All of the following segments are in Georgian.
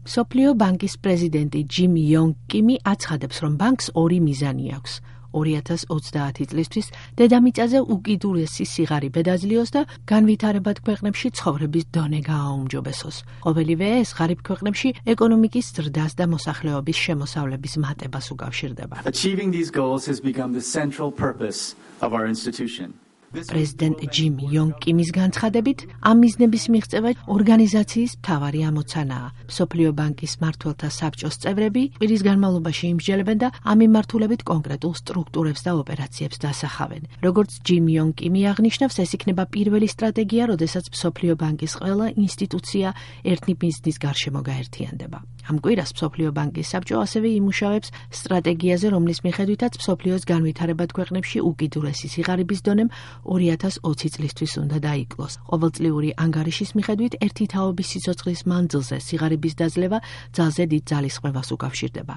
მსოფლიო ბანკის პრეზიდენტი ჯიმ იონგ კიმი აცხადებს, რომ ბანკს ორი მიზანი აქვს. 2030 წლისთვის დედამიწაზე უკიდურესი სიღარიბე დაძლიოს და განვითარებად ქვეყნებში ცხოვრების დონე გააუმჯობესოს. ყოველივე ეს ღარიბ ქვეყნებში ეკონომიკის ზრდას და მოსახლეობის შემოსავლების მატებას უკავშირდება. Achieving these goals has become the central purpose of our institution. პრეზიდენტ ჯიმ იონგ კიმის განცხადებით, ამ მიზნების მიღწევა ორგანიზაციის მთავარი ამოცანაა. მსოფლიო ბანკის მმართველთა საბჭოს წევრები კვირის განმავლობაში იმსჯელებენ და ამ მიმართულებით კონკრეტულ სტრუქტურებს და ოპერაციებს დასახავენ. Როგორც ჯიმ იონგ კიმი აღნიშნავს, ეს იქნება პირველი სტრატეგია, როდესაც მსოფლიო ბანკის ყველა ინსტიტუცია ერთი მიზნის გარშემო გაერთიანდება. ამ კვირას მსოფლიო ბანკის საბჭო ასევე იმუშავებს სტრატეგიაზე, რომლის მიხედვითაც მსოფლიოს განვითარებად ქვეყნებში უკიდურესი სიღარიბის დონემ 2020 წლისთვის უნდა დაიკლოს. ყოველწლიური ანგარიშის მიხედვით ერთი თაობის სიცოცხლის მანძილზე სიღარიბის დაძლევა ძალზე დიდ ძალისხმევას უკავშირდება.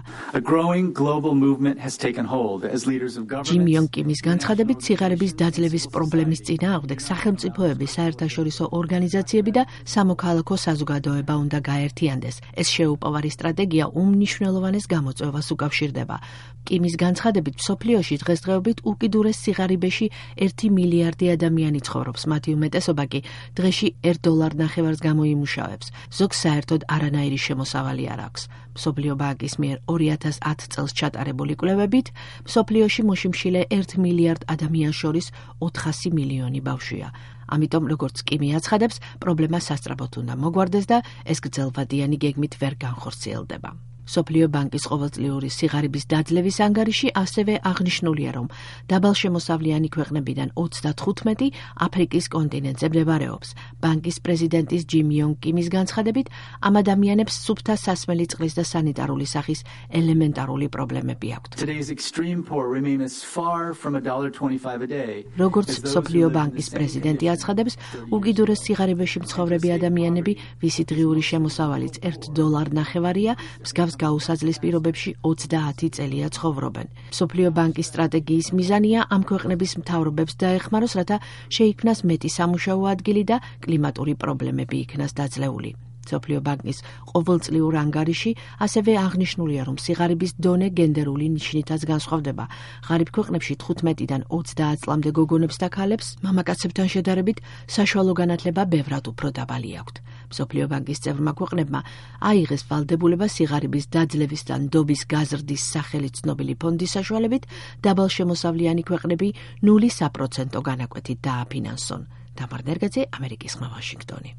ჯიმ იონგ კიმის განცხადებით, სიღარიბის დაძლევის პრობლემის წინააღმდეგ სახელმწიფოები, საერთაშორისო ორგანიზაციები და სამოქალაქო საზოგადოება უნდა გაერთიანდეს. ეს შეუპოვარი სტრატეგია უმნიშვნელოვანეს გამოწვევას უკავშირდება. კიმის განცხადებით, მსოფლიოში დღესდღეობით უკიდურეს სიღარიბეში 1 მილიარდი ადამიანი ცხოვრობს, მათი უმეტესობა კი დღეში $1.50 გამოიმუშავებს. ზოგს საერთოდ არანაირი შემოსავალი არ აქვს. მსოფლიო ბანკის მიერ 2010 წელს ჩატარებული კვლევებით, მსოფლიოში მოშიმშილე 1 მილიარდ ადამიანს შორის 400 მილიონი ბავშვია. ამიტომ, როგორც კიმი აცხადებს, პრობლემა სასწრაფოდ უნდა მოგვარდეს და ეს გრძელვადიანი გეგმით ვერ განხორციელდება. მსოფლიო ბანკის ყოველწლიური სიღარიბის დაძლევის ანგარიში ასევე აღნიშნულია, რომ დაბალშემოსავლიანი ქვეყნებიდან 35 აფრიკის კონტინენტზე მდებარეობს. ბანკის პრეზიდენტის ჯიმ იონგ კიმის განცხადებით, ამ ადამიანებს სუფთა სასმელი წყლის და სანიტარული სახის ელემენტარული პრობლემები აქვთ. როგორც მსოფლიო ბანკის პრეზიდენტი აცხადებს, უკიდურეს სიღარიბეში მცხოვრები ადამიანები, ვისი დღიური შემოსავალიც $1.50-ია, მსგავს გაუსაძლის პირობებში 30 წელია ცხოვრობენ. მსოფლიო ბანკის სტრატეგიის მიზანია ამ ქვეყნების მთავრობებს დაეხმაროს, რათა შეიქმნას მეტი სამუშაო ადგილი და კლიმატური პრობლემები იქნას დაძლეული. მსოფლიო ბანკის ყოველწლიურ ანგარიში ასევე აღნიშნულია, რომ სიღარიბის დონე გენდერული ნიშნითაც განსხვავდება. ღარიბ ქვეყნებში 15-დან 30 წლამდე გოგონებს და ქალებს მამაკაცებთან შედარებით საშუალო განათლება ბევრად უფრო დაბალი აქვთ. მსოფლიო ბანკის წევრმა ქვეყნებმა აიღეს ვალდებულება სიღარიბის დაძლევის და ნდობის გაზრდის სახელით ცნობილი ფონდის საშუალებით დაბალშემოსავლიანი ქვეყნები 0% განაკვეთით დააფინანსონ. დამარ ნერგაძე, ამერიკის ხმა, ვაშინგტონი.